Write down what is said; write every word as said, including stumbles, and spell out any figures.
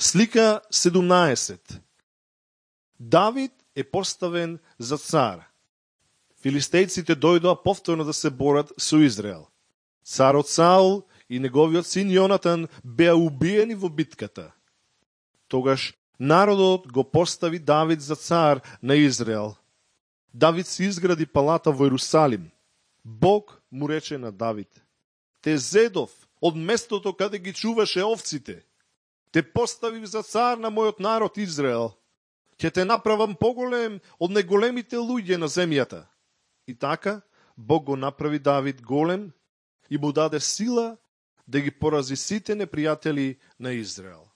Слика седумнаесет. Давид е поставен за цар. Филистејците дојдоа повторно да се борат со Израел. Царот Саул и неговиот син Јонатан беа убиени во битката. Тогаш народот го постави Давид за цар на Израел. Давид си изгради палата во Ерусалим. Бог му рече на Давид: те зедов од местото каде ги чуваше овците. Те поставив за цар на мојот народ Израел. Ќе те направам поголем од неголемите луѓе на земјата. И така, Бог го направи Давид голем и му даде сила да ги порази сите непријатели на Израел.